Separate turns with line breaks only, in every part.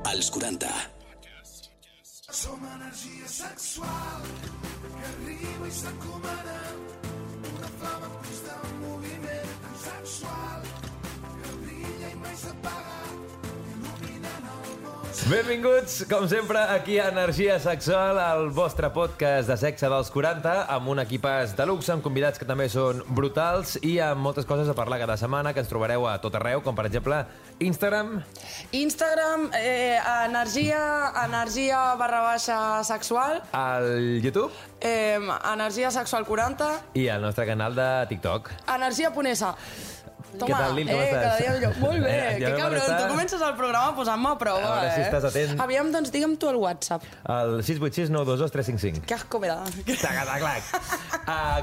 Als 40.
Som energia sexual que arriba i s'encomana, una flama en constant moviment tan sexual que brilla i mai s'apaga, il·luminant el món.
Benvinguts, com sempre, aquí a Energia Sexual, el vostre podcast de sexe dels 40, amb un equipàs de luxe, amb convidats que també són brutals i amb moltes coses a parlar cada setmana, que ens trobareu a tot arreu, com per exemple Instagram,
energia_sexual,
al YouTube
energia sexual 40,
i al nostre canal de TikTok.
energia.esa. Toma,
Què tal, Lil, com estàs?
cada dia millor. Molt bé,
Ja
que
vam
cabron,
estar-
tu comences el programa posant-me a prova,
A veure si estàs atent.
Aviam, doncs digue'm tu el WhatsApp.
El 686 922 355.
Que asco me da.
Tacataclac.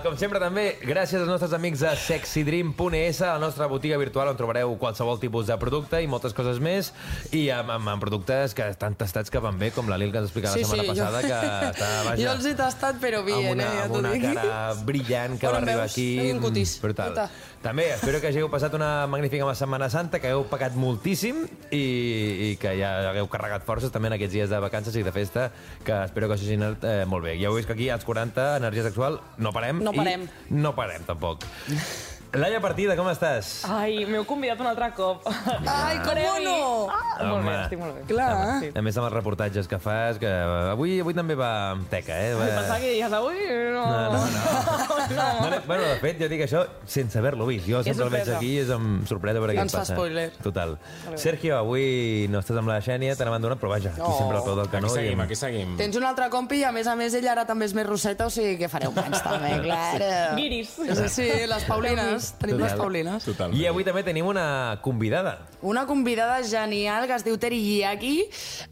Com sempre també, gràcies als nostres amics de sexydream.es, la nostra botiga virtual on trobareu qualsevol tipus de producte i moltes coses més, i amb productes que estan tastats que van bé, com la Lil que ens explicava la setmana passada, que està, vaja,
Jo els he tastat, però bien, ja
amb
t'ho
una
dic.
cara brillant que
Bueno,
va arribar
veus?
aquí.
Tinc un cutis.
Brutal.
Puta.
També espero que hagueu passat una magnífica Setmana Santa, que hagueu pagat moltíssim i que ja hagueu carregat forces també en aquests dies de vacances i de festa, que espero que us hagi anat molt bé. Ja heu vist que aquí als 40, Energia Sexual, no parem.
No parem.
I no parem, tampoc. Laia Partida, com estàs?
Ai, m'heu convidat un altre cop.
Ai, com no?
Molt
Home.
bé, estic molt bé.
Clar.
Sí.
A més amb els reportatges que fas, que avui també va amb teca, eh?
Pensava que diries avui... No.
No. Bueno, de fet, jo dic això sense haver-lo vist. Jo sempre el veig
sorpresa.
aquí i és amb sorpresa per què
Ens fa
passa.
spoiler.
Total. Sergio, avui no estàs amb la Xènia, te n'hem abandonat, però vaja, aquí sempre al peu del canó.
Aquí seguim.
Tens un altre compi i a més ella ara també és més roseta, o sigui que fareu plans també, clar.
Guiris.
Sí, les Paulines. Tenim les Paulines.
Totalment.
I avui també tenim una convidada.
Una convidada genial que es diu Teriyaki.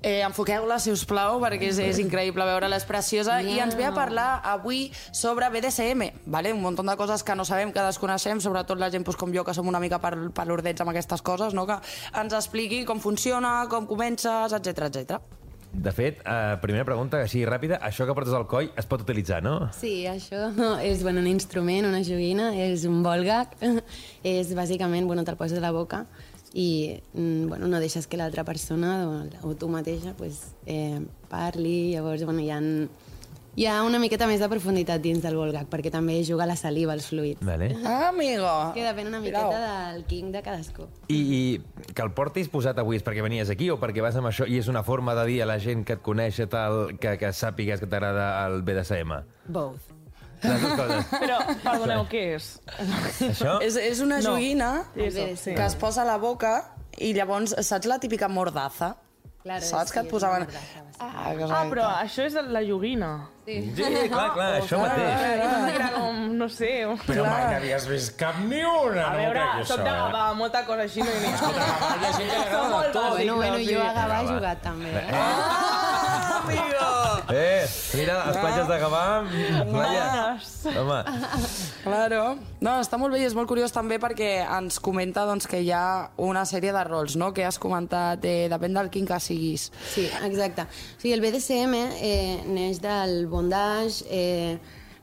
Enfoqueu-la, si us plau, perquè és increïble veure-la, és preciosa. I ens ve a parlar avui sobre BDSM, ¿vale? Un munt de coses que no sabem, que desconeixem, sobretot la gent pues, com jo, que som una mica palordets amb aquestes coses, no? Que ens expliqui com funciona, com comences, etc etc.
De fet, primera pregunta, així ràpida, això que portes al coll es pot utilitzar, no?
Sí, això és un instrument, una joguina, és un ball gag, és bàsicament, te'l poses a la boca i no deixes que l'altra persona o tu mateixa parli, llavors hi ha una miqueta més de profunditat dins del ball gag, perquè també juga la saliva, els fluids.
Vale.
Ah, amigo!
Que depèn una miqueta del king de cadascú.
I que el portis posat avui és perquè venies aquí o perquè vas amb això i és una forma de dir a la gent que et coneix tal, que sàpigues que t'agrada el BDSM?
Both.
Les dues coses.
Però, perdoneu, què és?
Això?
És una joguina
Sí.
que es posa a la boca i llavors, saps la típica mordaza?
Claro,
Saps que et
és
posaven...
una mordaza,
Però això és la joguina.
Sí.
Sí, clar, això mateix.
Jo pensava que era com, no sé...
Però mai n'havies vist cap ni una.
A veure, soc de Gavà, molta cosa així no hi ha.
Hi ha gent que li agrada de tot.
Bueno, jo a Gavà he jugat també.
Ah, amigo!
Mira, les platges de Gavà... Laia. Home,
Claro. No, està molt bé i és molt curiós també perquè ens comenta doncs, que hi ha una sèrie de rols, no?, que has comentat, depèn del quin que siguis.
Sí, exacte. O sigui, el BDSM neix del bondage,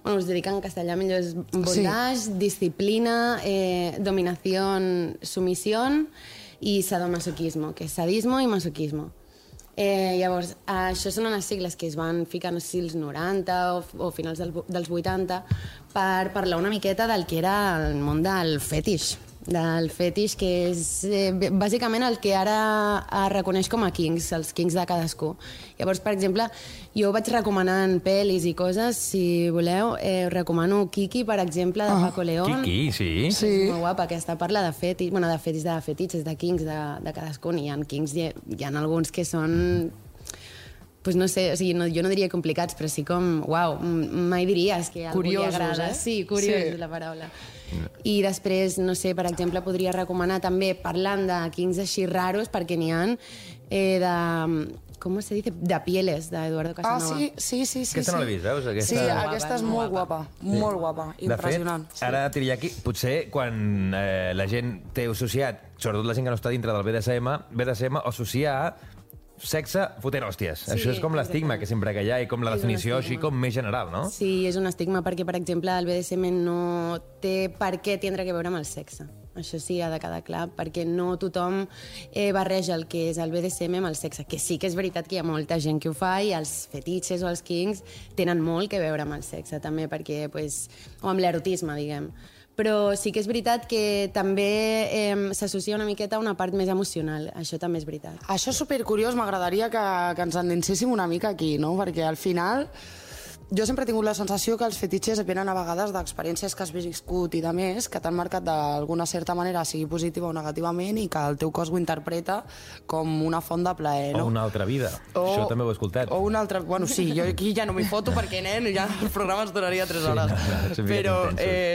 us dic en castellà millor, és bondage, disciplina, dominació, sumissió i sadomasoquismo, que és sadismo i masoquismo. Llavors, això són unes sigles que es van ficar, no sé si als 90 o finals dels 80 per parlar una miqueta del que era el món del fetix, que és bàsicament el que ara es reconeix com a kings, els kings de cadascú. Llavors, per exemple, jo vaig recomanant pel·lis i coses, si voleu, us recomano Kiki, per exemple, de Paco León.
Kiki, sí.
És molt guapa, aquesta parla de fetix, de fetitxes, de kings de cadascun. Hi ha kings, hi ha alguns que són... Pues no sé, o sigui, jo no diria complicats, però sí com, uau, mai diries que algú li agrada. Sí, curiós és la paraula. I després, no sé, per exemple, podria recomanar també, parlant de kings així raros, perquè n'hi ha de... ¿Cómo se dice? De Pieles, de Eduardo Casanova.
Sí.
Aquesta no l'he vist, veus?
Sí, aquesta és molt guapa, molt guapa, impressionant.
De fet, ara Teriyaki, potser quan la gent té associat, sobretot la gent que no està dintre del BDSM o associa a sexe fotent hòsties.
Sí,
això és com l'estigma que sempre que hi ha i com la
És un
definició
estigma.
així com més general, no?
Sí, és un estigma perquè, per exemple, el BDSM no té per què tindre que veure amb el sexe. Això sí, ha de quedar clar, perquè no tothom barreja el que és el BDSM amb el sexe, que sí que és veritat que hi ha molta gent que ho fa i els fetitxes o els kinks tenen molt que veure amb el sexe, també, perquè, pues, o amb l'erotisme, diguem. Però sí que és veritat que també s'associa una miqueta a una part més emocional. Això també és veritat.
Això és supercuriós, m'agradaria que ens endinséssim una mica aquí, no? Perquè al final jo sempre he tingut la sensació que els fetitxes venen a vegades d'experiències que has viscut i de més, que t'han marcat d'alguna certa manera, sigui positiva o negativament, i que el teu cos ho interpreta com una font de plaer, no?
O una altra vida. Això també ho he escoltat.
O una altra... Bueno, sí, jo aquí ja no m'hi foto perquè, nen, ja el programa ens duraria 3 hores. Però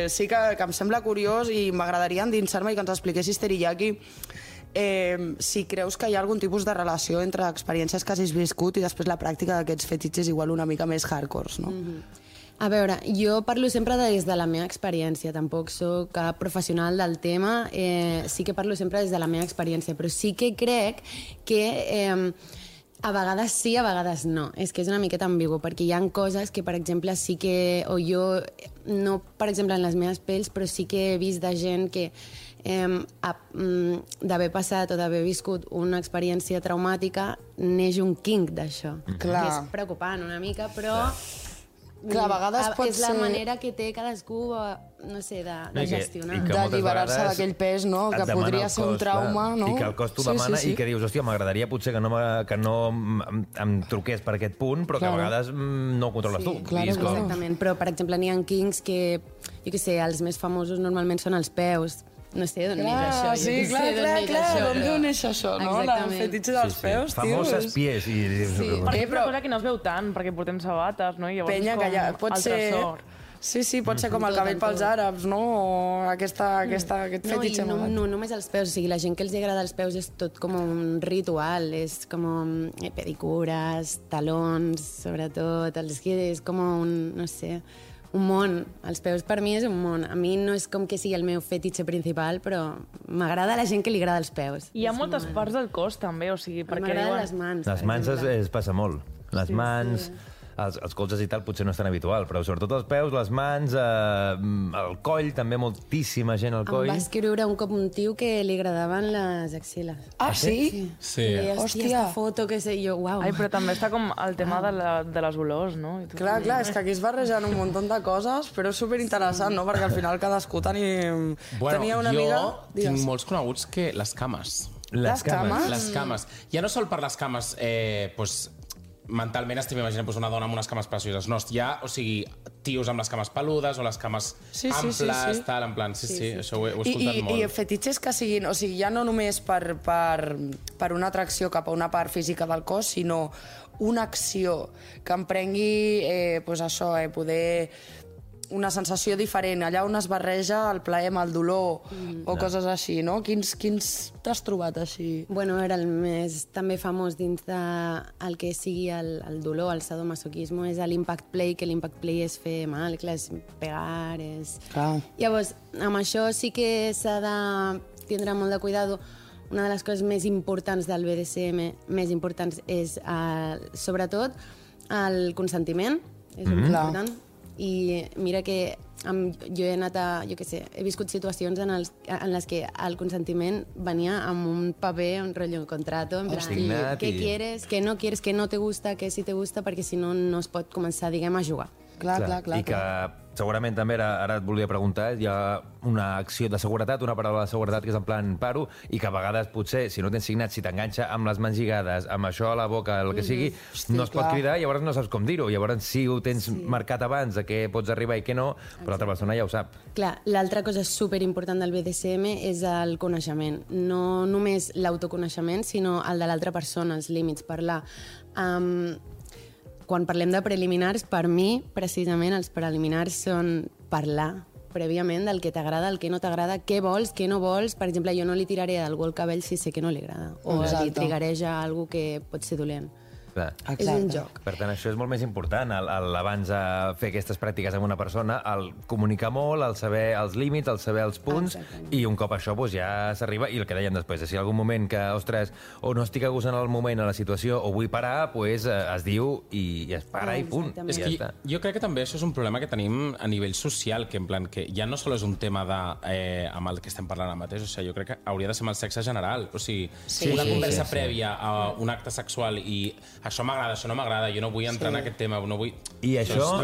sí que em sembla curiós i m'agradaria endinsar-me i que ens expliquessis, Teriyaki, si creus que hi ha algun tipus de relació entre experiències que hagis viscut i després la pràctica d'aquests fetitxes igual una mica més hardcore, no?
A veure, jo parlo sempre des de la meva experiència, tampoc sóc cap professional del tema, sí que parlo sempre des de la meva experiència, però sí que crec que a vegades sí, a vegades no. És que és una miqueta ambigu, perquè hi ha coses que, per exemple, sí que... O jo, no per exemple en les meves pells, però sí que he vist de gent que d'haver passat o d'haver viscut una experiència traumàtica neix un kink d'això.
Clar.
Que és preocupant una mica, però...
Clar, a vegades pot
és la
ser...
manera que té cadascú, no sé, de gestionar.
i que moltes
D'alliberar-se
vegades
d'aquell pes, no?
et
Que
demana
podria
el
ser un
cos,
trauma,
clar,
no?
I que el cos t'ho demana i que dius, hòstia, m'agradaria potser que no em truqués per aquest punt, però que a vegades no ho controles tu.
Claro,
I és com...
Exactament, però per exemple n'hi ha kinks que, jo què sé, els més famosos normalment són els peus. No sé d'on neix això.
Sí, d'on neix això, no? El fetitxe dels peus, tio.
Famoses pies.
Perquè és una cosa que no es veu tant, perquè portem sabates, no? I llavors
Penya,
és
que
com
ja pot
el
ser...
tresor.
Sí, pot ser com el cabell pels àrabs, no? O aquest fetitxe.
No només els peus, o sigui, la gent que els agrada els peus és tot com un ritual, és com pedicures, talons, sobretot, els que és com un, no sé, un món. Els peus per mi és un món. A mi no és com que sigui el meu fetitxe principal, però m'agrada la gent que li agrada els peus.
I hi ha moltes parts del cos, també, o sigui, perquè
m'agraden les mans.
Les mans es passa molt. Les mans... Els colzes i tal potser no és tan habitual, però sobretot els peus, les mans, el coll, també moltíssima gent al coll.
Em va escriure un cop un tio que li agradaven les axiles.
Ah, sí?
Sí.
I, hòstia, esta foto que sé jo, uau.
Ai, però també està com el tema de les olors, no? I tot.
Clar, és que aquí es barregen un munt de coses, però és superinteressant, no? Perquè al final cadascú tenia una amiga...
Jo tinc molts coneguts que les cames.
Les cames?
Les cames. Ja no sol per les cames, mentalment estem imaginant una dona amb unes cames precioses. No, hi ha, o sigui, tios amb les cames peludes o les cames amples, tal, en plan, sí, això ho he escoltat molt.
I fetitxes que siguin, o sigui, ja no només per una atracció cap a una part física del cos, sinó una acció que em prengui, poder una sensació diferent, allà on es barreja el plaer amb el dolor o coses així, no? Quins t'has trobat així?
Bueno, era el més també famós dins del que sigui el dolor, el sadomasoquisme, és l'impact play, que l'impact play és fer mal, clar, és pegar, és...
Clar.
Llavors, amb això sí que s'ha de tindre molt de cuidado. Una de les coses més importants del BDSM, més importants, és sobretot el consentiment, és important. I mira que jo he anat he viscut situacions en les que el consentiment venia amb un paper, un rotllo, un contrato, en plan, què quieres, què no quieres, què no te gusta, què sí te gusta, perquè si no, no es pot començar, diguem, a jugar.
Clar.
I que segurament també, ara et volia preguntar, hi ha una acció de seguretat, una paraula de seguretat que és en plan paro, i que a vegades potser, si no tens signat, si t'enganxa amb les mans lligades, amb això a la boca, el que sigui, no es pot cridar, i llavors no saps com dir-ho. Llavors si ho tens marcat abans de què pots arribar i què no, però l'altra persona ja ho sap.
Clar, l'altra cosa superimportant del BDSM és el coneixement. No només l'autoconeixement, sinó el de l'altra persona, els límits, parlar. Quan parlem de preliminars, per mi, precisament, els preliminars són parlar prèviament del que t'agrada, el que no t'agrada, què vols, què no vols. Per exemple, jo no li tiraré a algú el cabell si sé que no li agrada. O li trigareja algú que pot ser dolent. És un joc.
Per tant, això és molt més important, abans de fer aquestes pràctiques amb una persona, el comunicar molt, el saber els límits, el saber els punts, i un cop això ja s'arriba, i el que dèiem després, si en algun moment que, ostres, o no estic a gust en el moment, a la situació, o vull parar, es diu i es para i punt.
És que jo crec que també això és un problema que tenim a nivell social, que en plan, que ja no sol és un tema amb el que estem parlant ara mateix, o sigui, jo crec que hauria de ser amb el sexe general, o sigui, una conversa prèvia a un acte sexual i això m'agrada, això no m'agrada, jo no vull entrar en aquest tema, no vull...
I això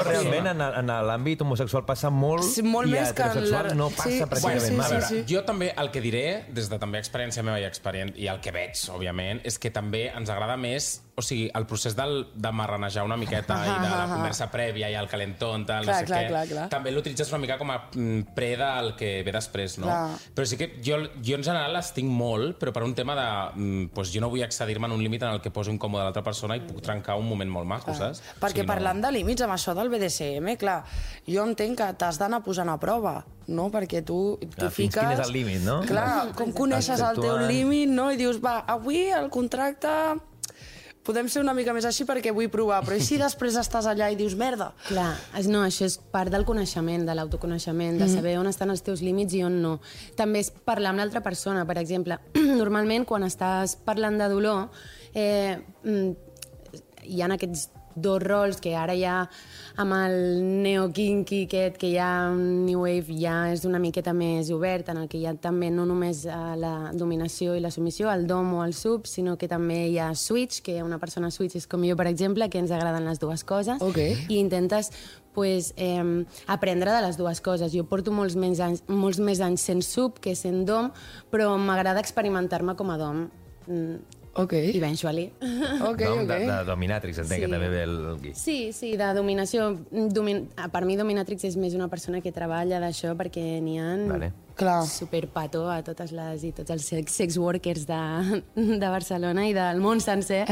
realment en l'àmbit homosexual passa molt i a heterosexual no passa pràcticament mai.
A veure, jo també el que diré, des de també experiència meva i el que veig, òbviament, és que també ens agrada més, o sigui, el procés de marranejar una miqueta i de la conversa prèvia i el calentón, no sé què, també l'utilitzes una mica com a pre del que ve després, no? Però sí que jo en general les tinc molt, però per un tema de... jo no vull accedir-me en un límit en el que poso incòmode a l'altra persona i puc trencar un moment molt maco, saps?
Perquè parlant de límits, amb això del BDSM, clar, jo entenc que t'has d'anar posant a prova, no? Perquè tu fiques...
Fins quin és el límit, no?
Clar, com coneixes el teu límit, no? I dius, va, avui el contracte... Podem ser una mica més així perquè vull provar, però i si després estàs allà i dius merda?
Clar, no, això és part del coneixement, de l'autoconeixement, de saber on estan els teus límits i on no. També és parlar amb l'altra persona, per exemple. Normalment, quan estàs parlant de dolor, hi ha aquests dos rols que ara ja amb el neo-kinky aquest, que ja New Wave ja és una miqueta més obert, en el que hi ha també no només la dominació i la submissió, el dom o el sub, sinó que també hi ha switch, que una persona switch és com jo, per exemple, que ens agraden les dues coses, i intentes aprendre de les dues coses. Jo porto molts més anys sent sub que sent dom, però m'agrada experimentar-me com a dom. Eventually.
De dominatrix, entenc que també ve el Gui.
Sí, de dominació. Per mi dominatrix és més una persona que treballa d'això perquè n'hi ha superpato a totes les i tots els sex workers de Barcelona i del món sencer.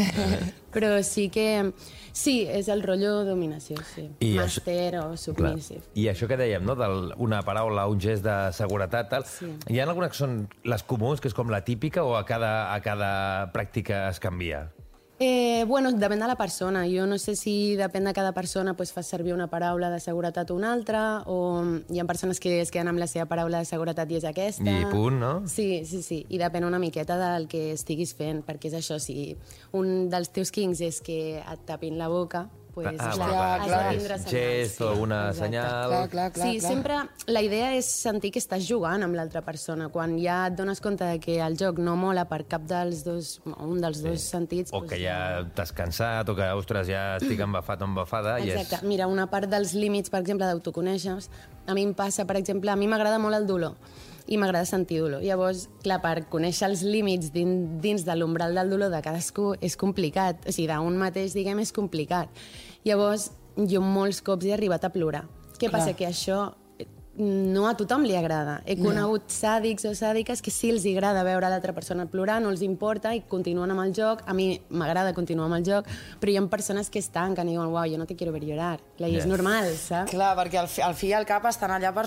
Però sí que... Sí, és el rotllo dominació, sí. Master o submissive.
I això que dèiem, no? Una paraula, un gest de seguretat, tal. Hi ha algunes que són les comuns, que és com la típica, o a cada pràctica es canvia?
Bueno, depèn de la persona. Jo no sé si depèn de cada persona fa servir una paraula de seguretat o una altra, o hi ha persones que es queden amb la seva paraula de seguretat i és aquesta.
I punt, no?
Sí. I depèn una miqueta del que estiguis fent, perquè és això, si un dels teus kinks és que et tapin la boca, has de tindre senyals.
Gest o una senyal.
Sí, sempre la idea és sentir que estàs jugant amb l'altra persona. Quan ja et dones compte que el joc no mola per cap dels dos, un dels dos sentits...
O que ja t'has cansat, o que, ostres, ja estic embafat o embafada...
Exacte. Mira, una part dels límits, per exemple, d'autoconèixer, a mi em passa, per exemple, a mi m'agrada molt el dolor i m'agrada sentir dolor. Llavors, clar, per conèixer els límits dins de l'umbral del dolor de cadascú és complicat. O sigui, d'un mateix, diguem, és complicat. Llavors, jo molts cops he arribat a plorar. Què passa? Que això no a tothom li agrada. He conegut sàdics o sàdiques que sí els agrada veure l'altra persona plorar, no els importa i continuen amb el joc. A mi m'agrada continuar amb el joc, però hi ha persones que es tanquen i diuen, uau, jo no te quiero ver llorar. I és normal, saps?
Clar, perquè al fi i al cap estan allà per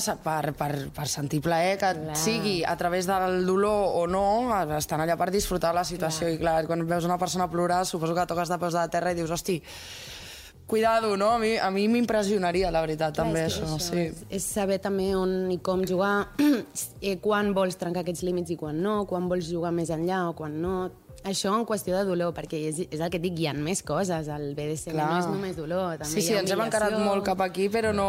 sentir plaer, que sigui a través del dolor o no, estan allà per disfrutar la situació. I clar, quan veus una persona plorar, suposo que toques de peus de la terra i dius, hosti, cuidado, no? A mi m'impressionaria, la veritat, també, això.
És saber també on i com jugar, quan vols trencar aquests límits i quan no, quan vols jugar més enllà o quan no. Això en qüestió de dolor, perquè és el que et dic, hi ha més coses. El BDSM no és només dolor, també hi ha
ens hem encarat molt cap aquí, però no...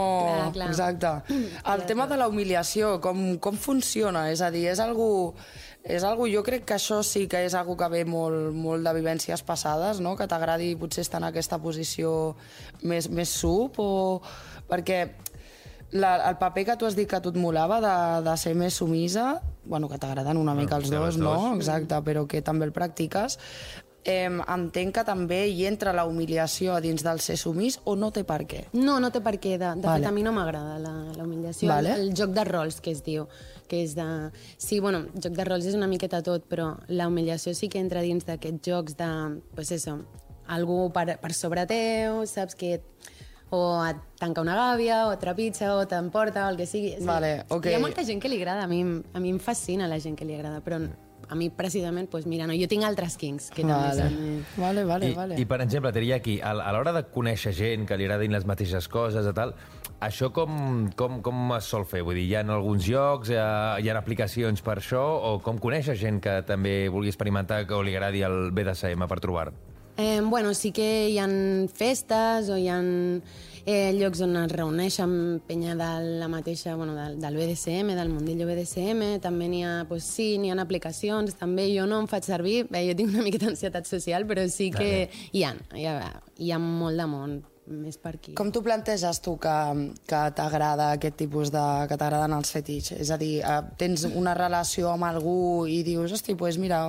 Exacte. El tema de la humiliació, com funciona? És a dir, és algú... Jo crec que això sí que és algo que ve molt de vivències passades, no? Que t'agradi potser estar en aquesta posició més sub, o... perquè el paper que tu has dit que a tu et molava de ser més sumisa, bueno, que t'agraden una mica els dos, no? Exacte, però que també el practiques. Entenc que també hi entra la humiliació a dins del ser sumís, o no té per què?
No té per què. De fet, a mi no m'agrada la humiliació. El joc de rols, que es diu, que és de... Sí, bueno, joc de rols és una miqueta tot, però la humiliació sí que entra dins d'aquests jocs de, pues eso, algú per sobre teu, saps que... o et tanca una gàbia, o et trepitja, o t'emporta, o el que sigui.
Hi
ha molta gent que li agrada, a mi em fascina la gent que li agrada, però a mi precisament, doncs mira, no, jo tinc altres kinks que també són...
Vale.
I per exemple, diria aquí, a l'hora de conèixer gent que li agradin les mateixes coses i tal, això com es sol fer? Vull dir, hi ha alguns llocs, hi ha aplicacions per això, o com conèixer gent que també vulgui experimentar o li agradi el BDSM per trobar?
Bueno, sí que hi ha festes o hi ha llocs on es reuneixen penya de la mateixa, bueno, del BDSM, del mundillo BDSM, també n'hi ha, pues sí, n'hi ha aplicacions, també jo no em faig servir, jo tinc una miqueta d'ansietat social, però sí que hi ha molt de món més per aquí.
Com t'ho planteges tu que t'agrada aquest tipus de... que t'agraden els fetitx? És a dir, tens una relació amb algú i dius, hosti, doncs mira,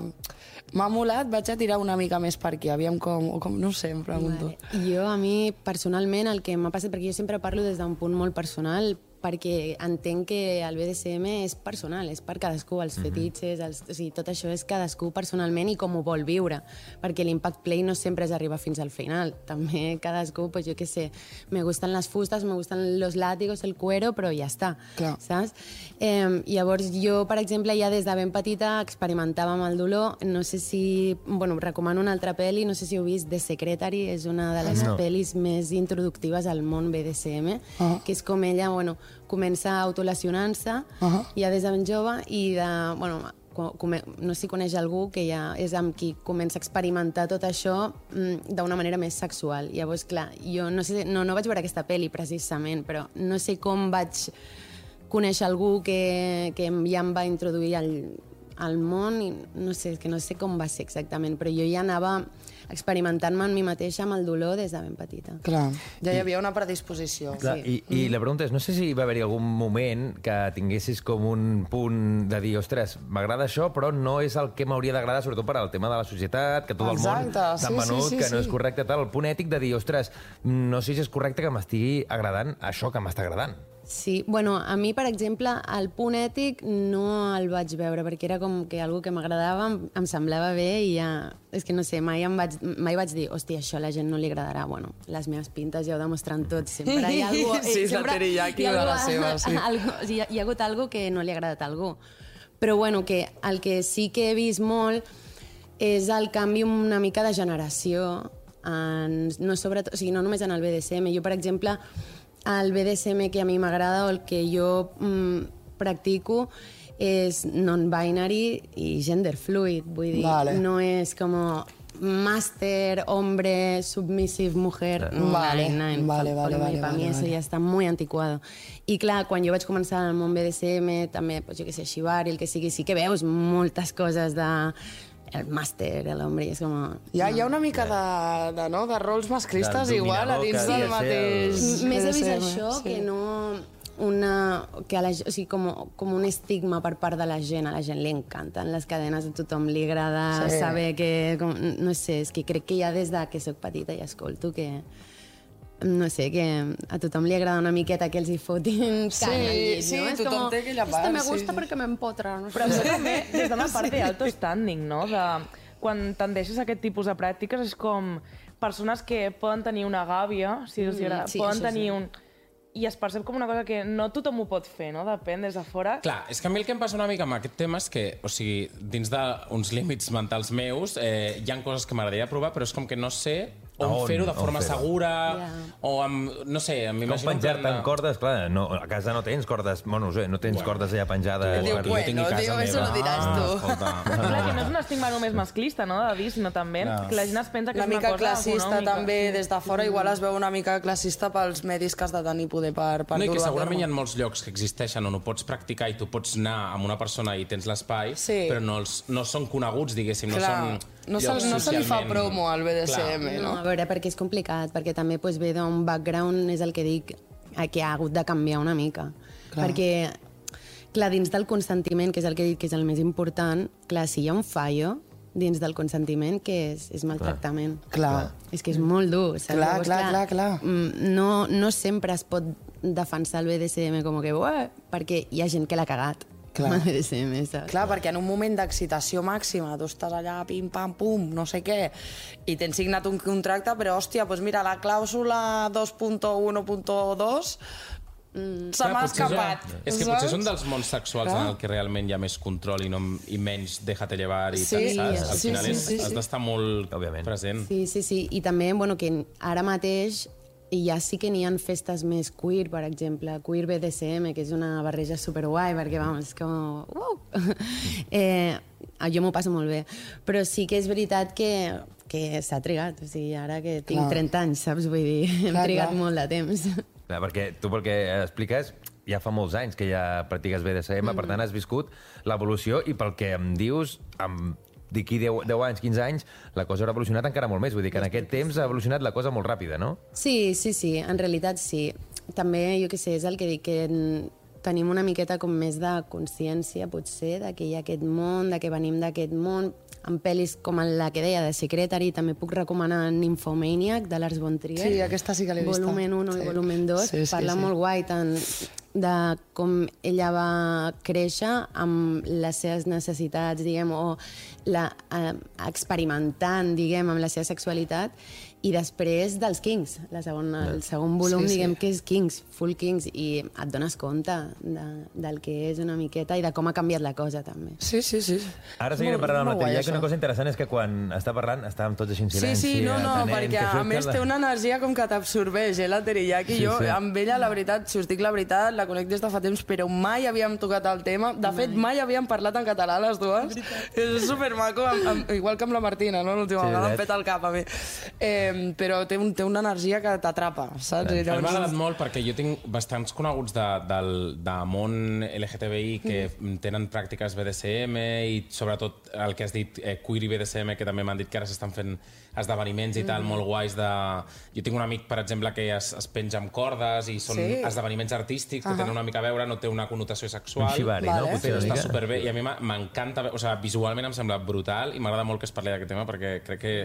m'ha molat, vaig a tirar una mica més per aquí, aviam com no ho sé, em pregunto.
Vale. Jo, a mi, personalment, el que m'ha passat, perquè jo sempre parlo des d'un punt molt personal, perquè entenc que el BDSM és personal, és per cadascú, els fetitxes, o sigui, tot això és cadascú personalment i com ho vol viure, perquè l'impact play no sempre és arribar fins al final, també cadascú, pues jo què sé, me gustan les fustes, me gustan los látigos, el cuero, però ja està, saps? Llavors jo, per exemple, ja des de ben petita experimentava amb el dolor, no sé si... Bueno, recomano una altra pel·li, no sé si heu vist, The Secretary, és una de les pel·lis més introductives al món BDSM, que és com ella, bueno, comença autolesionant-se ja des de ben jove i no sé si coneix algú que ja és amb qui comença a experimentar tot això d'una manera més sexual. Llavors, clar, jo no sé, no vaig veure aquesta pel·li precisament, però no sé com vaig conèixer algú que ja em va introduir al món i no sé com va ser exactament, però jo ja anava experimentant-me en mi mateixa amb el dolor des de ben petita.
Clar, ja hi havia una predisposició.
Clar, i la pregunta és, no sé si va haver-hi algun moment que tinguessis com un punt de dir, ostres, m'agrada això, però no és el que m'hauria d'agradar, sobretot per al tema de la societat, que tot el món s'ha venut, que no és correcte, tal, el punt ètic de dir, ostres, no sé si és correcte que m'estigui agradant això que m'està agradant.
Sí, bueno, a mi, per exemple, el punt ètic no el vaig veure, perquè era com que algo que m'agradava, em semblava bé i ja... És que no sé, mai vaig dir, hòstia, això a la gent no li agradarà. Bueno, les meves pintes ja ho demostren tot, sempre hi ha algú...
Sí, és la teriyaki de la seva, sí.
Hi ha hagut algo que no li ha agradat a algú. Però bueno, que el que sí que he vist molt és el canvi una mica de generació, no només en el BDSM. Jo, per exemple, el BDSM que a mi m'agrada o el que jo practico és non-binary i gender fluid, vull dir, no és com máster, hombre, submissive, mujer,
Vale.
Per mi eso ya está muy anticuado. I clar, quan jo vaig començar al món BDSM, també, pues, jo què sé, shibari, el que sigui, sí que veus moltes coses de el màster, l'home, és com...
Hi ha una mica de rols masclistes igual a dins del mateix...
Més he vist això que no... o sigui, com un estigma per part de la gent. A la gent li encanten les cadenes, a tothom li agrada saber que... No sé, és que crec que ja des de que soc petita i escolto que... No sé, que a tothom li agrada una miqueta que els hi fotin canya al llit, no?
Sí, tothom té aquella part.
Esto me gusta perquè m'empotra.
Però això també des d'una part d'alto standing, no? Quan tendeixes a aquest tipus de pràctiques és com persones que poden tenir una gàbia, poden tenir un... I es percep com una cosa que no tothom ho pot fer, no? Depèn des de fora.
Clar, és que a mi el que em passa una mica amb aquest tema és que, o sigui, dins d'uns límits mentals meus, hi ha coses que m'agradaria provar, però és com que no sé on fer-ho de forma segura, o amb, no sé, m'imagino...
Com penjar-te en cordes, clar, a casa no tens cordes, bueno, no sé, no tens cordes allà penjades...
Diu, bueno, tio, això no diràs tu.
Clar, que no és un estigma només masclista, no?, de dir, sinó també que la gent es pensa que és una cosa econòmica.
Una mica classista, també, des de fora, igual es veu una mica classista pels medis que has de tenir poder per dur-ho a terme.
No, i que segurament hi ha molts llocs que existeixen on ho pots practicar i tu pots anar amb una persona i tens l'espai, però no són coneguts, diguéssim, no són...
No se li fa promo al BDSM, no?
A veure, perquè és complicat, perquè també ve d'un background, és el que dic, que ha hagut de canviar una mica. Perquè, clar, dins del consentiment, que és el que he dit que és el més important, clar, si hi ha un fallo dins del consentiment, que és maltractament.
Clar.
És que és molt dur.
Clar.
No sempre es pot defensar el BDSM com que, perquè hi ha gent que l'ha cagat. Clar,
perquè en un moment d'excitació màxima tu estàs allà, pim, pam, pum, no sé què, i tens signat un contracte, però, hòstia, doncs mira, la clàusula 2.1.2 Se m'ha escapat.
És que potser és un dels mons sexuals en el que realment hi ha més control i menys déjate llevar i tal, saps? Al final has d'estar molt present.
Sí. I també, bueno, que ara mateix ja sí que n'hi ha festes més queer, per exemple, queer BDSM, que és una barreja superguai, perquè, vamos, és com... jo m'ho passo molt bé. Però sí que és veritat que s'ha trigat. O sigui, ara que tinc 30 anys, saps? Vull dir, hem trigat molt de temps.
Clar, perquè tu pel que expliques ja fa molts anys que ja practiques BDSM, per tant has viscut l'evolució i pel que em dius, d'aquí 10 anys, 15 anys, la cosa haurà evolucionat encara molt més. Vull dir que en aquest temps ha evolucionat la cosa molt ràpida, no?
Sí, en realitat sí. També, jo què sé, és el que dic, que tenim una miqueta com més de consciència, potser, de que hi ha aquest món, de que venim d'aquest món. En pel·lis com la que deia de Secretary, també puc recomanar Nymphomaniac, de Lars von Trier.
Sí, aquesta sí que l'he vista.
Volumen 1 i volumen 2. Parla molt guai tant de com ella va créixer amb les seves necessitats, diguem, o experimentant, diguem, amb la seva sexualitat, i després dels Kings. El segon volum, diguem, que és Kings, full Kings, i et dones compte del que és una miqueta i de com ha canviat la cosa, també.
Sí.
Ara seguirem parlant amb la Teria, que una cosa interessant és que quan està parlant estàvem tots així en silenci.
Sí, no, perquè a més té una energia com que t'absorbeix, la Teriyaki. Jo, amb ella, la veritat, si us dic la veritat, la conec des de fa temps, però mai havíem tocat el tema. De fet, mai havíem parlat en català, les dues. És supermaco, igual que amb la Martina, no? L'última vegada em peta el cap a mi. Però té una energia que t'atrapa, saps?
M'ha agradat molt perquè jo tinc bastants coneguts de món LGTBI que tenen pràctiques BDSM i sobretot el que has dit, queer i BDSM, que també m'han dit que ara s'estan fent esdeveniments i tal, molt guais de... Jo tinc un amic, per exemple, que es penja amb cordes i són esdeveniments artístics que tenen una mica a veure, no té una connotació sexual.
Un xivari, no?
Però està superbé i a mi m'encanta, o sigui, visualment em sembla brutal i m'agrada molt que es parli d'aquest tema perquè crec que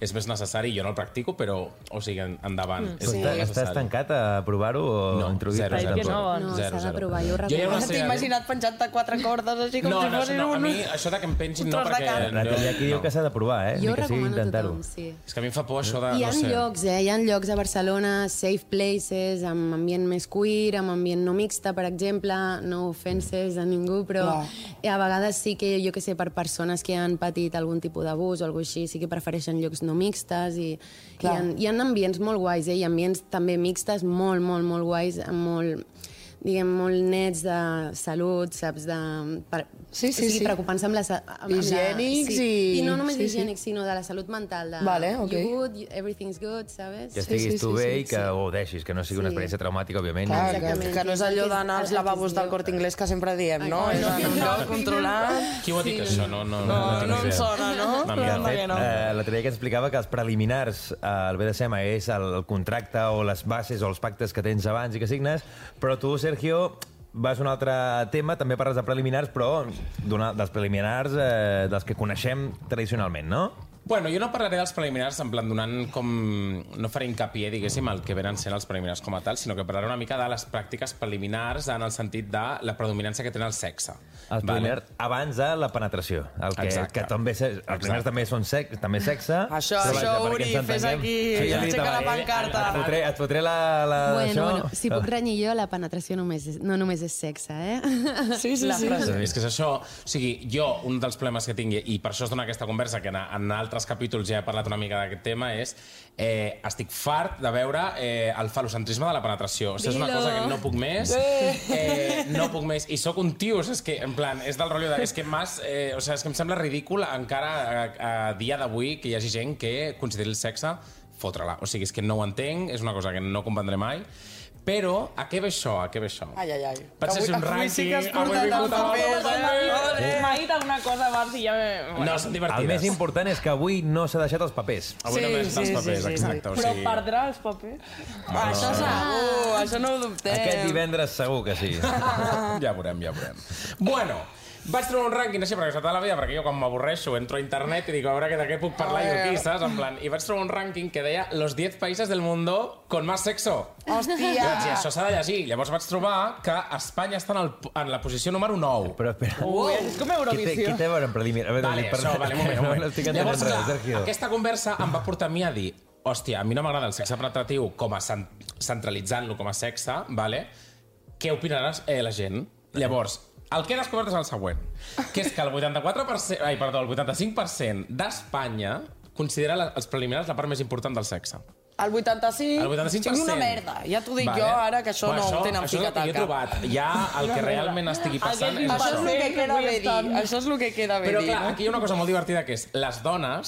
és més necessari. Jo no el practico, però, o sigui, endavant.
Estàs tancat a provar-ho o introduir?
No, s'ha de provar, jo ho recordo.
T'he imaginat penjant-te 4 cordes així com si fossin
a mi això de que em pengin no, perquè...
La Teria aquí diu que s'ha de provar,
Jo recomano a tothom, sí.
És que a mi em fa por això de...
Hi ha llocs a Barcelona, safe places, amb ambient més queer, amb ambient no mixta, per exemple, no offenses a ningú, però a vegades sí que, jo que sé, per persones que han patit algun tipus d'abús o alguna cosa així, sí que prefereixen llocs no mixtes i hi ha ambients molt guais, i ambients també mixtes molt, molt, molt guais, amb molt nets de salut, saps? Preocupant-se amb la...
Higiènics
i... no només higiènics, sinó de la salut mental. You good, everything's good, saps?
Que estiguis tu bé i que ho deixis, que no sigui una experiència traumàtica, òbviament.
Que no és allò d'anar als lavabos del Corte Inglés que sempre diem, no? És un lloc controlat.
Qui ho ha dit, això? No
em sona, no?
De fet, l'altre dia que explicava que els preliminars al BDSM és el contracte o les bases o els pactes que tens abans i que signes, però tu, Sergio, vas a un altre tema, també parles de preliminars, però dels preliminars dels que coneixem tradicionalment, no?
Bueno, jo no parlaré dels preliminars en plan donant com... No faré hincapié, diguéssim, el que venen sent els preliminars com a tal, sinó que parlaré una mica de les pràctiques preliminars en el sentit de la predominància que tenen el sexe.
Els preliminars abans de la penetració. Que també, els preliminars també són també sexe.
Això, Uri, fes aquí. Aixeca la pancarta.
Et fotré la...
Bueno, si puc renyir jo, la penetració no només és sexe,
Sí.
És que és això. O sigui, jo, un dels problemes que tingui, i per això es dona aquesta conversa, que en altres capítols ja he parlat una mica d'aquest tema, és estic fart de veure el falocentrisme de la penetració. O sigui, és una cosa que no puc més. No puc més. I sóc un tio, és que, en plan, és del rotllo de... És que és que em sembla ridícul encara a dia d'avui que hi hagi gent que consideri el sexe fotre-la. O sigui, és que no ho entenc, és una cosa que no comprendré mai. Però, a què ve això?
Ai.
Vaig fer un rànquing...
Sí que has portat els papers,
M'ha dit alguna cosa abans i ja...
No, són divertides.
El més important és que avui no s'ha deixat els papers.
Avui no m'he deixat els papers, exacte.
Però perdrà els papers?
Això segur, això no ho dubtem.
Aquest divendres segur que sí.
Ja veurem. Bueno... Vaig trobar un rànquing així per tota la vida, perquè jo quan m'avorreixo entro a internet i dic a veure de què puc parlar jo aquí, saps? En plan, i vaig trobar un rànquing que deia los 10 países del mundo con más sexo.
Hòstia!
I això s'ha de llegir. Llavors vaig trobar que Espanya està en la posició número 9.
Però espera...
És com Eurovisió.
Qui té a veure en preliminar?
Vale, un moment. Llavors,
Sergio.
Aquesta conversa em va portar a mi a dir hòstia, a mi no m'agrada el sexe penetratiu com a centralitzant-lo com a sexe, vale? què opinarà la gent? Llavors, el que he descobert és el següent, que és que el 85% d'Espanya considera els preliminars la part més important del sexe.
El 85%? Tinc una merda. Ja t'ho dic jo, ara, que això no ho tenen ficat al cap.
Això és el que he trobat. Ja el que realment estigui passant és
això. Això és el que queda bé dir. Això és el que queda bé dir.
Però clar, aquí hi ha una cosa molt divertida, que és les dones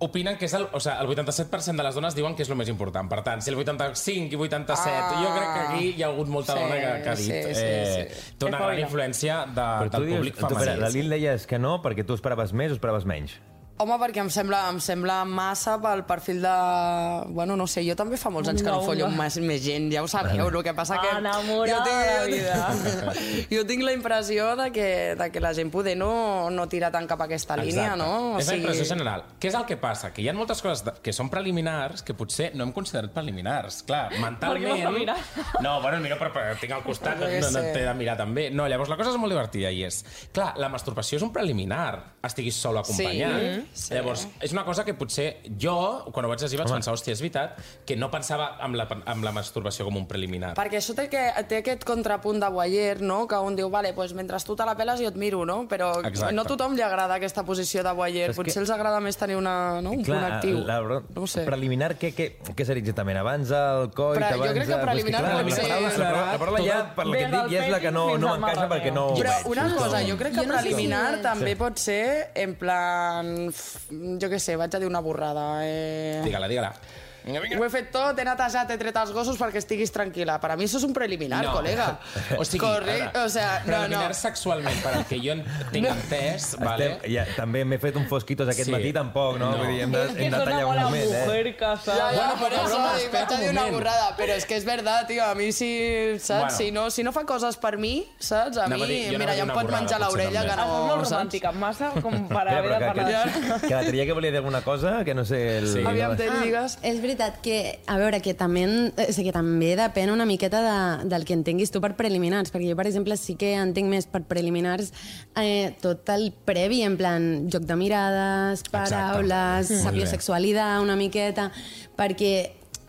opinen que és el 87% de les dones diuen que és el més important. Per tant, si el 85 i 87... Jo crec que aquí hi ha hagut molta dona que ha dit. Té una gran influència del públic femení.
La Lil deies que no, perquè tu esperaves més o esperaves menys?
Home, perquè em sembla massa pel perfil de... Bueno, no sé, jo també fa molts anys que no follo més gent, ja ho sabeu, el que passa que...
Enamorada de la vida.
Jo tinc la impressió de que la gent poder no tira tant cap a aquesta línia, no?
És la impressió general. Què és el que passa? Que hi ha moltes coses que són preliminars que potser no hem considerat preliminars. Clar, mentalment... No, bueno, mira, però tinc al costat, no t'he de mirar també. No, llavors la cosa és molt divertida i és... Clar, la masturbació és un preliminar, estiguis sol o acompanyat. Sí. Llavors, és una cosa que potser jo, quan ho vaig llegir, vaig pensar, hòstia, és veritat, que no pensava amb la masturbació com un preliminar.
Perquè això té aquest contrapunt de voyeur, no? Que un diu, vale, pues, mentre tu te la peles jo et miro, no? Però no a tothom li agrada aquesta posició de voyeur. Potser els agrada més tenir un punt actiu.
No sé. Preliminar, què seria exactament? Abans el coit, abans...
Jo crec que preliminar pot ser...
La paraula ja, per la que et dic, ja és la que no m'encaixa perquè no ho veig.
Però una cosa, jo crec que preliminar també pot ser en plan... Jo què sé, vaig a dir una borrada.
Digue-la.
Ho he fet tot, he netejat, he tret els gossos perquè estiguis tranquil·la. Per a mi això és un preliminar, col·lega.
O sigui, preliminar sexualment, per al que jo tinc entès, vale?
També m'he fet un fosquitos aquest matí, tampoc, no? Vull dir, hem de tallar un moment,
Bueno, per això vaig a dir una borrada, però és que és veritat, tio, a mi saps? Si no fa coses per mi, saps? A mi, mira, ja em pot menjar l'orella, que no...
Això és molt romàntica, massa com per haver de parlar.
Que la tria que volia dir alguna cosa, que no sé...
Aviam, digues.
És veritat que, a veure, que també depèn una miqueta del que entenguis tu per preliminars, perquè jo, per exemple, sí que entenc més per preliminars tot el previ, en plan, joc de mirades, paraules, sapiosexualitat, una miqueta, perquè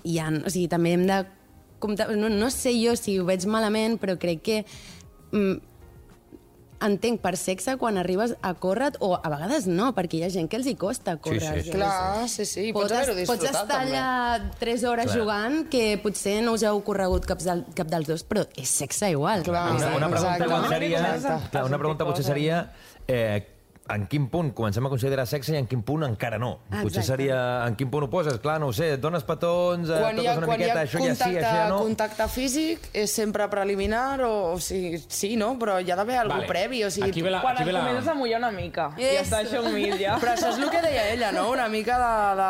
hi ha, o sigui, també hem de comptar, no sé jo si ho veig malament, però crec que entenc per sexe quan arribes a córrer, o a vegades no, perquè hi ha gent que els hi costa córrer.
Sí. Clar, sí. Pots haver-ho disfrutat,
pots estar allà 3 hores jugant, que potser no us heu corregut cap dels dos, però és sexe igual.
Una pregunta potser seria... en quin punt comencem a considerar sexe i en quin punt encara no. Potser seria en quin punt ho poses, clar, no ho sé, dones petons, toques una miqueta, això ja sí, això ja no...
Contacte físic és sempre preliminar, o sigui, sí, no? Però hi ha d'haver alguna previ, o sigui...
Quan et comences a mullar una mica, i està això humil, ja.
Però això és el que deia ella, no? Una mica de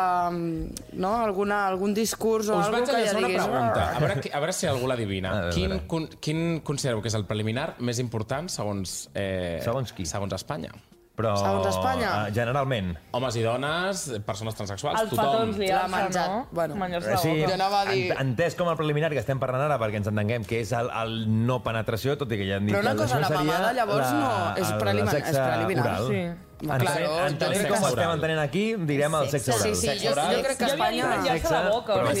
algun discurs o alguna cosa que ja diguis...
Us vaig a una pregunta, a veure si algú l'adivina. Quin considereu que és el preliminar més important segons
qui?
Segons Espanya?
Però,
segons Espanya?
Generalment.
Homes i dones, persones transexuals,
tothom. Els petons li
menjat,
no?
Bueno,
sí,
jo anava a dir...
Entès com el preliminar que estem parlant ara, perquè ens entenguem que és el no penetració, tot i que ja hem dit...
Però una cosa, la mamada llavors no és preliminar.
Sí. Entenent com ho estem entenent aquí, direm el sexe oral.
Sí, jo crec que Espanya...
És
que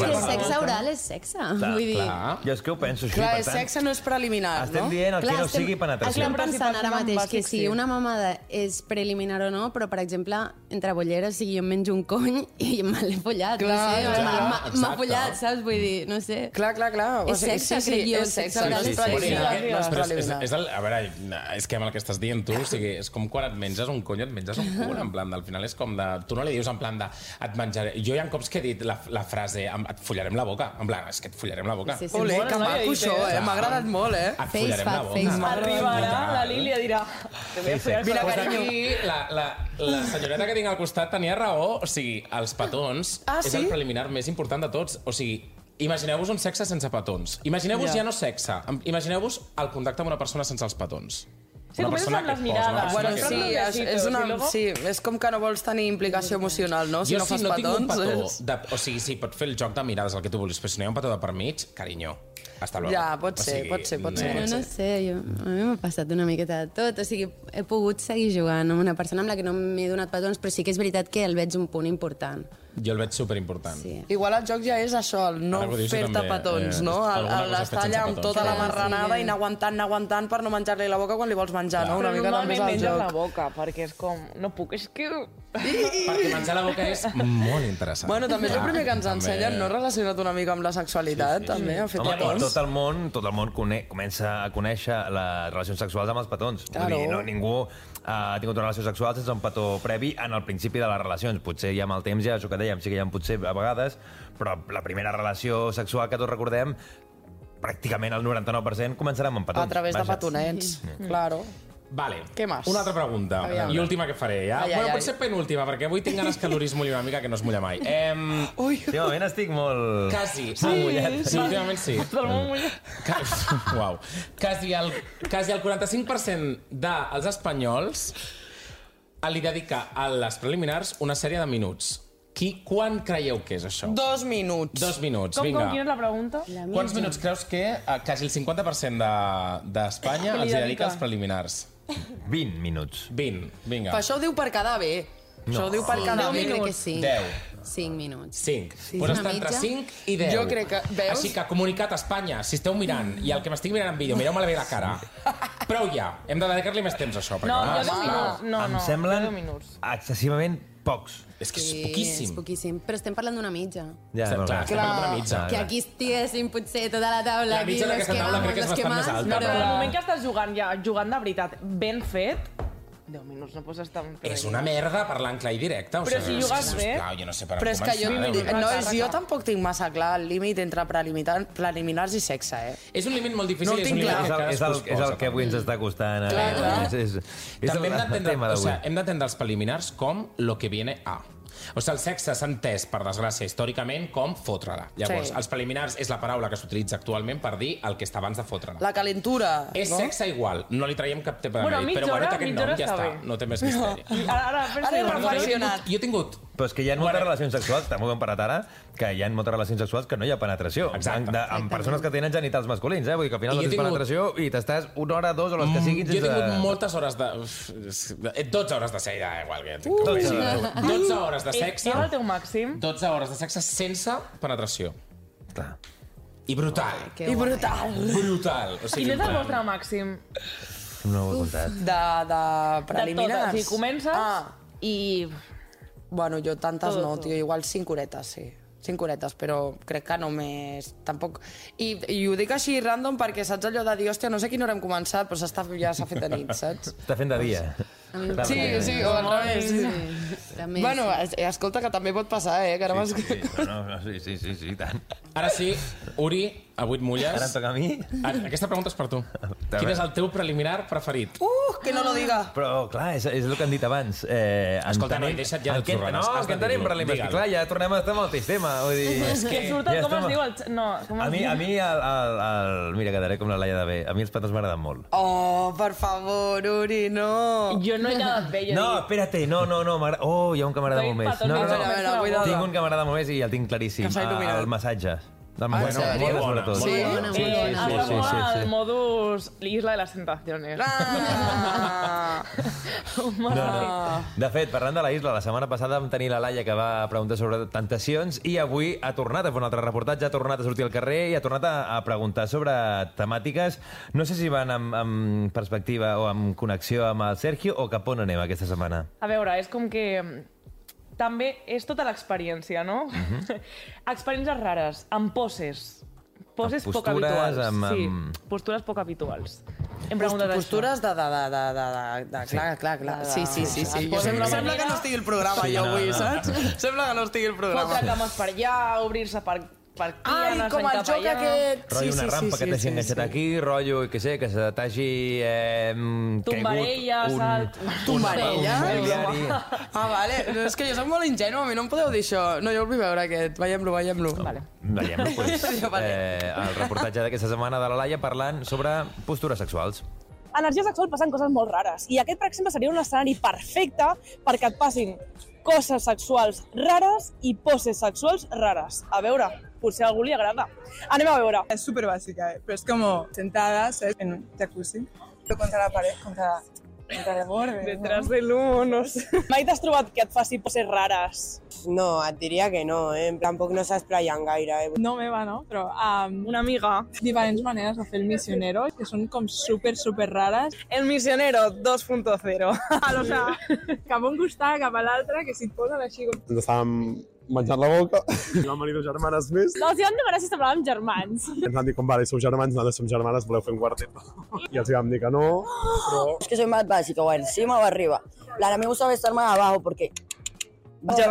el sexe oral és sexe, vull dir...
Jo és que ho penso així,
clar, sexe no és preliminar, no?
Estem dient el que no sigui penetració.
Estem pensant ara mateix que si una mamada és preliminar o no, però, per exemple, entre bolleres, si jo em menjo un cony i me l'he follat, no sé, m'ha follat, saps? Vull dir, no sé.
Clar.
És sexe, crec jo, és sexe oral és preliminar.
A veure, és que amb el que estàs dient tu, és com quan et menges un cony, et menges un cul, en plan, al final és com de... Tu no li dius en plan de... Et menjaré... Jo hi ha cops que he dit la frase et follarem la boca. En plan, és que et follarem la boca.
Olé, que maco això, m'ha agradat molt,
Et follarem la boca.
Arribarà, la Lília dirà...
Mira, que aquí la senyoreta que tinc al costat tenia raó. O sigui, els petons és el preliminar més important de tots. O sigui, imagineu-vos un sexe sense petons. Imagineu-vos ja no sexe. Imagineu-vos el contacte amb una persona sense els petons.
Sí, comences amb les mirades.
Bueno, sí, és com que no vols tenir implicació emocional, no? Si no fas petons...
Jo si no tinc un petó... O sigui, sí, pot fer el joc de mirades, el que tu vulguis, però si no hi ha un petó de per mig, carinyo, hasta luego.
Ja, pot ser.
No sé, a mi m'ha passat una miqueta de tot. O sigui, he pogut seguir jugant amb una persona amb la que no m'he donat petons, però sí que és veritat que el veig un punt important.
Jo el veig superimportant.
Sí.
Igual el joc ja és això, el no fer-te petons, no? L'estar allà amb tota la marranada i anar aguantant per no menjar-li la boca quan li vols menjar, no? Una mica també és el
menges
joc.
la boca, perquè és com... No puc, és que...
Perquè menjar la boca és molt interessant.
Bueno, també és el primer que ens ensenyen, no? Relacionat una mica amb la sexualitat, també, a fer petons.
Tot el món comença a conèixer les relacions sexuals amb els petons.
Claro.
Vull dir, ningú ha tingut una relació sexual sense un petó previ en el principi de les relacions. Potser ja amb el temps, ja això que dèiem, sí que hi ha potser a vegades, però la primera relació sexual que tots recordem, pràcticament el 99% començarà amb petons.
A través de petonets, claro.
Vale.
Què més?
Una altra pregunta.
Aviam.
I última que faré, ja?
Ai.
Potser penúltima, perquè avui tinc ganes que l'Uri es mulli una mica, que no es mulla mai.
Últimament estic molt...
Quasi.
mullat.
Sí, últimament sí.
Tot el món mullat.
Uau. Quasi el 45% dels espanyols li dedica a les preliminars una sèrie de minuts. Quan creieu que és això?
2 minuts.
2 minuts,
Com,
vinga.
quina és la pregunta?
Quants minuts creus que quasi el 50% d'Espanya els dedica als preliminars?
20 minuts.
20, vinga.
Però això ho diu per quedar bé. Això ho diu per quedar bé.
Crec que sí.
10.
5 minuts.
5.
Sí,
Pues
una
està entre
mitja.
5 i 10.
Jo crec que... Veus?
Així que, comunicat a Espanya, si esteu mirant, i el que m'estic mirant en vídeo, mireu-me bé la cara. Prou ja. Hem de dedicar-li més temps a això.
No,
perquè,
jo 10 minuts. No,
Em
no,
semblen
10 minuts.
excessivament pocs.
És que és
Sí,
poquíssim.
és poquíssim. Però estem parlant d'una mitja.
Ja,
Clar, estem parlant d'una mitja.
Que aquí estiguéssim potser tota la taula.
La mitja
aquí,
d'aquesta taula crec que és
los
bastant més
más,
alta,
No, però
però-
el moment que estàs jugant de veritat, ben fet, 10 minuts no pots estar...
És una merda parlant clar i directe.
Però si jugues bé...
Sisplau, jo no sé per on
Però és que jo,
començar.
jo tampoc tinc massa clar el límit entre preliminars i sexe, eh?
És un límit molt difícil
No ho
i és un
tinc
límit
clar.
que
És
cadascú es
el que avui ens està costant.
Clar.
És
També hem
el
d'entendre,
tema d'avui.
hem d'entendre els preliminars com lo que viene a. O sigui, el sexe s'ha entès, per desgràcia, històricament, com fotre-la. Llavors,
Sí.
els preliminars és la paraula que s'utilitza actualment per dir el que està abans de fotre-la.
La calentura,
És
no?
sexe igual, no li traiem cap tema de
Bueno,
mèrit, però
mitja
bueno,
hora-
té aquest
mitja
nom,
hora
ja
està
està,
bé.
no té més misteri.
Ara
Ara he reflexionat.
Jo he tingut...
Però és que hi ha moltes relacions sexuals, també ho hem parat ara, que hi ha moltes relacions sexuals que no hi ha penetració.
Exacte.
Amb persones que tenen genitals masculins, Vull dir que al final
I
no
jo he
tens
tingut-
penetració i t'estàs 1 hora, 2 o les que siguin
Jo he
sense...
tingut moltes hores de... 12 hores de sexe, igual que... 12 hores de sexe,
És el teu màxim?
12 hores de sexe sense penetració.
Clar.
I brutal.
Que
I
guai.
brutal.
Brutal. O sigui,
Quin és el vostre màxim?
No ho he comptat.
De
De totes.
preliminars.
O sigui, comences i...
Bueno, jo tantes
Tot,
no,
tot.
tio, igual 5 horetes, sí. 5 horetes, però crec que només... Tampoc... I ho dic així random perquè saps allò de dir, hòstia, no sé a quina hora hem començat, però ja s'ha fet de nit, saps?
Està fent de dia.
Sí, sí, o al revés.
També,
Bueno, escolta, que també pot passar, que ara
Sí, sí, i tant.
Ara sí, Uri, avui et mulles.
Ara em toca a mi?
Aquesta pregunta és per tu. Quin és el teu preliminar preferit?
Que no lo diga.
Però, clar, és el que han dit abans.
Escolta, noi, deixa't ja de xurranes.
No,
Has
que
de
entenem
dir-lo.
preliminars.
Digue-lo.
Clar, ja tornem a estar amb el mateix tema. Vull dir...
Que surt el,
ja
com es
estem-
diu el... No, com es diu?
A mi mira, quedaré com la Laia de bé. A mi els petons m'agraden molt.
Oh, per favor, Uri, no.
Jo no he quedat bé, jo
No, espérate, no, m'agrada... Oh, hi ha un que m'agrada
T'ha
molt
dit
més.
petons,
No,
a veure,
cuidado.
Tinc un que m'agrada molt més i el tinc claríssim.
Que s'ha il·luminat.
El massatge. Del
Ah,
massatge.
en sèrio?
Molt sobretot.
Sí?
Bona,
Sí,
molt bona.
sí, sí, sí, sí.
El modus Isla de las Tentaciones.
Ah.
No. De fet, parlant de la isla, la setmana passada vam tenir la Laia que va preguntar sobre tentacions i avui ha tornat a fer un altre reportatge, ha tornat a sortir al carrer i ha tornat a preguntar sobre temàtiques. No sé si van amb perspectiva o amb connexió amb el Sergio o cap on anem aquesta setmana.
A veure, és com que... També és tota l'experiència, no? Experiències rares, amb poses. Poses
Amb
poc
postures,
habituals.
amb-
Sí, postures poc habituals. Hem preguntat
Postures de... Clar. Sí. Sembla que no estigui el programa,
Sí,
jo
no,
avui,
no.
saps? Sembla que no estigui el programa.
Fotre cames per allà, obrir-se per aquí,
Ai,
anar
com el
cap
joc
allà.
aquest.
Rotllo una rampa que t'hagi enganxat aquí, rotllo, que sé, que se t'hagi
Tombarella,
caigut
salt.
Tombarella?
un mobiliari.
Ah, vale. No, és que jo soc molt ingenu, a mi no em podeu dir això. No, jo el vull veure aquest. Veiem-lo.
Vale.
Veiem-lo, pues.
Vale.
El reportatge d'aquesta setmana de la Laia parlant sobre postures sexuals.
Energia sexual passen coses molt rares. I aquest, per exemple, seria un escenari perfecte perquè et passin coses sexuals rares i poses sexuals rares. A veure, potser a algú li agrada. Anem a veure.
Es súper básica, pero es como sentada, ¿sabes? En un jacuzzi, pero contra la pared, contra
Detrás del humo, no sé. Mai t'has trobat que et faci poses rares?
No, et diria que no, Tampoc no s'espraien gaire,
No meva, no? Però una amiga, diferents maneres de fer el misionero, que són com super rares. El misionero 2.0. O sigui, cap a un costat, cap a l'altre, que si et posen així...
Ens estàvem menjant la boca i vam venir 2 germanes més.
No, els hi vam demanar si semblàvem germans.
Ens van dir, com vale, sou germans, nosaltres som germanes, voleu fer un quartet? I els vam dir que no, però...
Es que soy más básica, o encima o arriba. A mí me gusta estar más abajo porque...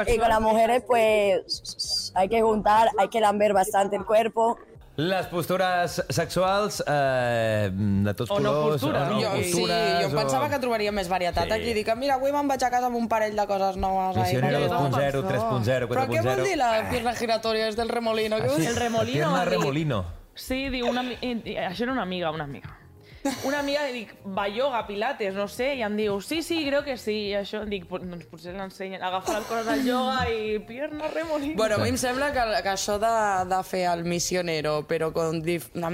Y con las mujeres, pues, hay que juntar, hay que lamber bastante el cuerpo.
Les postures sexuals de tots colors...
O no postures. Jo em pensava que trobaria més varietat aquí. Dic, mira, avui me'n vaig a casa amb un parell de coses noves.
Misionero 2.0, 3.0, 4.0...
Però què vol dir la pierna giratoria? És del remolino.
El remolino.
Pierna remolino.
Sí, diu això era una amiga. Una amiga, dic, va ioga, pilates, no sé, i em diu, sí, creo que sí, i això, dic, doncs potser l'ensenyen, agafar el cos del ioga i pierna remolino.
Bueno, a mi em sembla que això de fer el misionero, però amb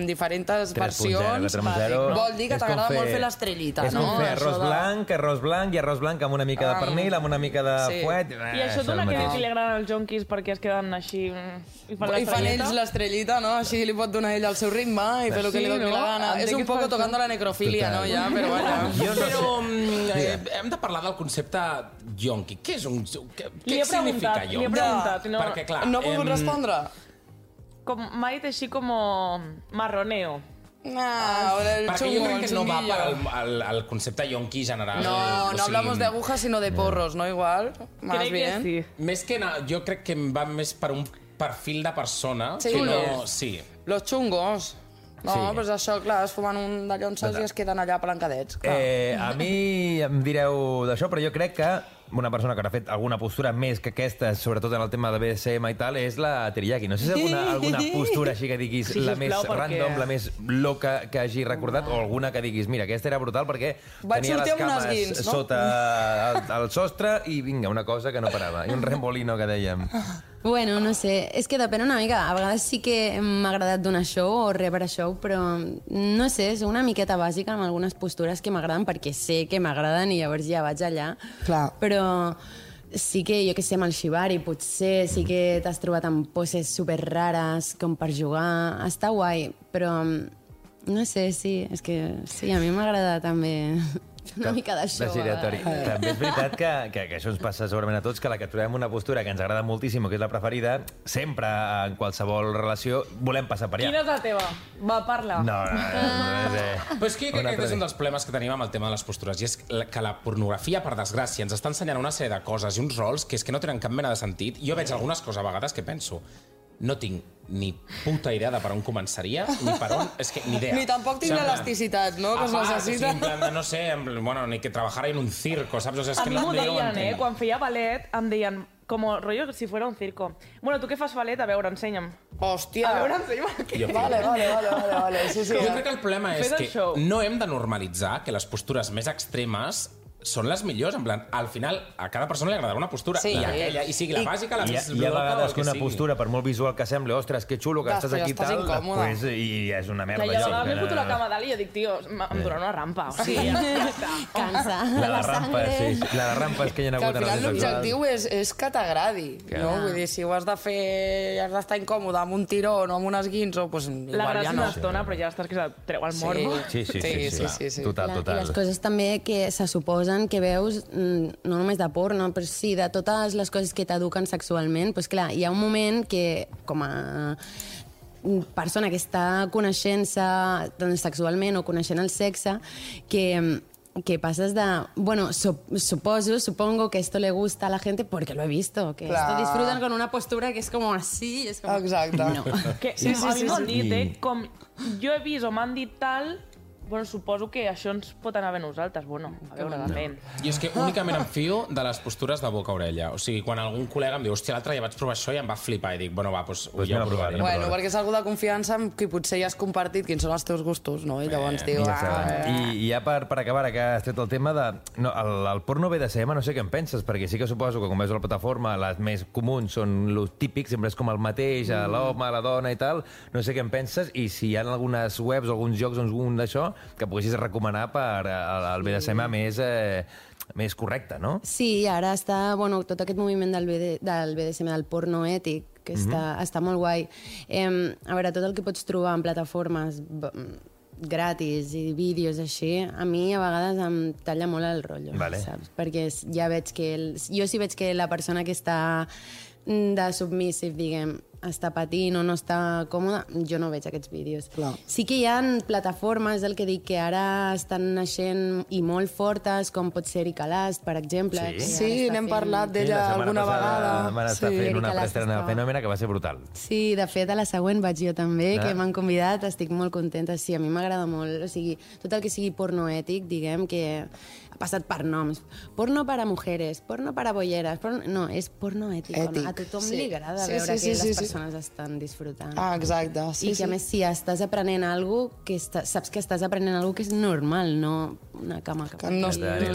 diferents versions, vol dir que t'agrada molt fer l'estrellita, no?
És com fer arròs blanc amb una mica de pernil, amb una mica de fuet...
I això dona que li agraden els jonquis perquè es queden així i
fan ells l'estrellita, no? Així li pot donar ell al seu ritme i fer el que li doni la gana. És un poco tocando la necrofília, no? Ja, però vaja.
Però hem de parlar del concepte yonqui. Què és un... Què significa yonqui?
Li he preguntat.
Perquè, clar...
No ha pogut respondre?
M'ha dit així com marroneo.
Perquè jo crec que no va per el concepte yonqui general.
No hablamos de agujas, sino de porros, ¿no? Igual, más bien.
Sí.
Més que jo crec que va més per un perfil de persona.
Sí. Los chungos. No, però és això, clar, es fumen un de llonses i es queden allà palancadets.
A mi em direu d'això, però jo crec que una persona que ha fet alguna postura més que aquesta, sobretot en el tema de BDSM i tal, és la teriyaki. No sé si alguna postura així que diguis la més random, la més loca que hagi recordat, o alguna que diguis, mira, aquesta era brutal perquè tenia les cames sota el sostre i vinga, una cosa que no parava. I un remolino que dèiem.
Bueno, no sé, és que depèn una mica. A vegades sí que m'ha agradat donar show o rebre show, però no sé, és una miqueta bàsica amb algunes postures que m'agraden perquè sé que m'agraden i llavors ja vaig allà.
Clar.
Però sí que, jo que sé, amb el shibari potser sí que t'has trobat amb poses super rares com per jugar. Està guai, però no sé, sí, és que sí, a mi m'agrada també... una mica de show.
També és veritat que això ens passa segurament a tots, que la que trobem una postura que ens agrada moltíssim, que és la preferida, sempre en qualsevol relació volem passar per allà.
Quina és la teva? Va, parla.
No.
Però és que jo crec que és un dels problemes que tenim amb el tema de les postures, i és que la pornografia, per desgràcia, ens està ensenyant una sèrie de coses i uns rols que és que no tenen cap mena de sentit. Jo veig algunes coses a vegades que penso, no tinc ni puta idea de per on començaria, ni per on... És que ni idea.
Ni tampoc tinc l'elasticitat, no?, que es necessita.
En plan de, no sé, bueno, ni que trabajara en un circo, saps? O sea, es que
a mi m'ho deien, quan feia ballet, em deien, com rollo si fuera un circo. Bueno, tu que fas ballet? A veure, ensenya'm.
Hòstia!
A veure, ensenya'm.
Vale. Sí.
Jo crec que el problema és que no hem de normalitzar que les postures més extremes són les millors, en plan, al final a cada persona li agradarà una postura, i aquella, i sigui la bàsica, la més
loca, hi ha vegades que una postura, per molt visual que sembli, ostres, que xulo que estàs aquí i tal, després i és una merda.
I a vegades m'he fotut la cama dalt i jo dic, tio, em dóna una rampa, o sigui, ja està.
Cansa.
La de rampa, sí. La de rampa és que hi ha hagut...
Que al final l'objectiu és que t'agradi, no? Vull dir, si ho has de fer i has d'estar incòmode amb un tirón o amb un esguinzo, doncs igual ja no.
La gràcia una estona, però ja estàs que se't treu el morbo.
Sí. Total.
I les coses també que se suposen que veus, no només de porno, però sí, de totes les coses que t'eduquen sexualment, doncs clar, hi ha un moment que, com a persona que està coneixent-se sexualment o coneixent el sexe, que passes de, bueno, supongo que esto le gusta a la gente porque lo he visto, que esto disfrutan con una postura que es como así, es como...
Exacte.
No.
A mi m'han dit, com jo he vist o m'han dit tal... Bueno, suposo que això ens pot anar bé a nosaltres. Bueno, a veure, depèn.
I és que únicament em fio de les postures de boca a orella. O sigui, quan algun col·lega em diu, hòstia, l'altre ja vaig provar això i em va flipar. I dic, bueno, va, doncs ja ho provaré.
Bueno, perquè és algú de confiança amb qui potser ja has compartit quins són els teus gustos, no? I llavors diu...
I ja per acabar, que has tret el tema de... El porno BDSM, no sé què en penses, perquè sí que suposo que, com veus a la plataforma, les més comuns són els típics, sempre és com el mateix, l'home, la dona i tal. No sé què en penses, i si hi ha algunes webs o alguns jocs on un d'això que poguessis recomanar per al BDSM més correcte, no?
Sí, ara està, bueno, tot aquest moviment del BDSM, del porno ètic, que està molt guai. A veure, tot el que pots trobar en plataformes gratis i vídeos així, a mi a vegades em talla molt el rotllo, saps? Perquè ja veig que... Jo sí veig que la persona que està de submissive, diguem, està patint o no està còmoda, jo no veig aquests vídeos. Clar. Sí que hi ha plataformes, el que dic, que ara estan naixent i molt fortes, com pot ser Erika Last, per exemple.
Sí, n'hem parlat d'ella alguna vegada.
Van estar fent una preestrena de Fenòmena que va ser brutal.
Sí, de fet, a la següent vaig jo també, que m'han convidat, estic molt contenta. Sí, a mi m'agrada molt. O sigui, tot el que sigui porno ètic, diguem, que ha passat per noms. Porno para mujeres, porno para bolleres... No, és porno ètic. A tothom li agrada veure que les persones estan disfrutant.
Ah, exacte.
I que, a més, si estàs aprenent alguna cosa, saps que estàs aprenent alguna cosa que és normal, no una cama cap aquí.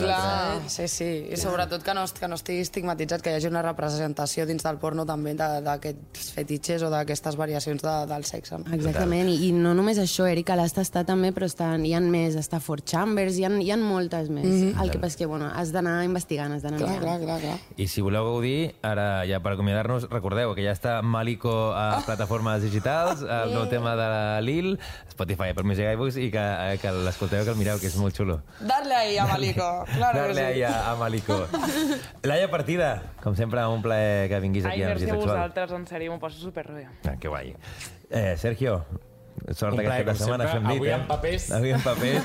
Clar, sí. I sobretot que no estigui estigmatitzat, que hi hagi una representació dins del porno també d'aquests fetitxes o d'aquestes variacions del sexe.
Exactament, i no només això, Erika Last està també, però hi ha més, està Fort Chambers, hi ha moltes més. El que passa és que, bueno, has d'anar investigant, has d'anar mirant.
Clar.
I si voleu gaudir, ara ja per acomiadar-nos, recordeu que ja està Maliko a plataformes digitals, el nou tema de Lil, Spotify, Apple Music, iBooks, i que l'escolteu, que el mireu, que és molt xulo.
Darle ahí a Maliko.
Darle ahí a Maliko. Laia Partida, com sempre, un plaer que vinguis aquí a Energia Sexual.
Ai, merci a vosaltres, en sèrio, m'ho passo superbé.
Que guai. Sergio, sort aquesta setmana fem nit,
avui amb papers.
Avui amb papers.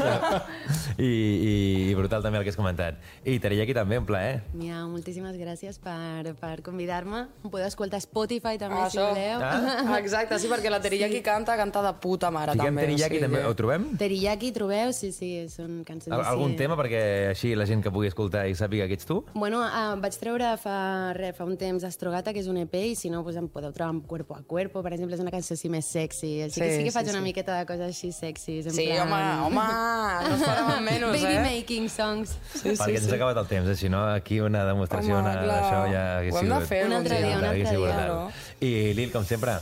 I brutal també el que has comentat. I Teriyaki també, un plaer.
Mia, moltíssimes gràcies per convidar-me. Em podeu escoltar a Spotify també, si voleu.
Exacte, sí, perquè la Teriyaki canta de puta mare també.
Fiquem Teriyaki també, ho trobem?
Teriyaki trobeu, sí, són cançons així.
Algun tema perquè així la gent que pugui escoltar i sàpiga que ets tu?
Bueno, vaig treure fa un temps Astrogata, que és un EP, i si no, em podeu trobar amb Cuerpo a Cuerpo, per exemple, és una cançó així més sexy. Sí que faig una miqueta de coses així sexys.
Sí, home, no es farà amb menys,
Baby making songs.
Perquè ens ha acabat el temps, si no, aquí una demostració d'això ja hagués sigut...
Ho hem de fer un dia.
I Lil, com sempre...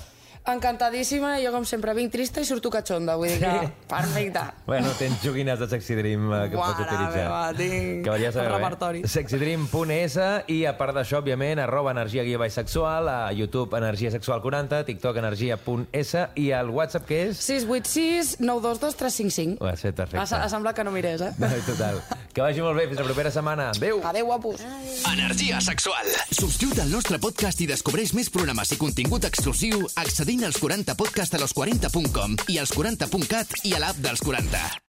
Encantadíssima, i jo com sempre vinc trista i surto catxonda, vull dir que perfecte.
Bueno, tens joguines de Sexy Dream que pots utilitzar.
Tinc repertori.
Sexydream.es, i a part d'això, òbviament, @energia_sexual, a YouTube Energia Sexual 40, TikTok energia.es, i el WhatsApp que és...
686 922 355.
Ho has fet perfecte.
Ha semblat que no mirés,
Total. Que vagi molt bé, fins la propera setmana. Adéu.
Adéu, guapos.
Energia Sexual. Subscriu-te al nostre podcast i descobreix més programes i contingut exclusiu accedint als 40 podcast a los40.com i als 40.cat i a l'app dels 40.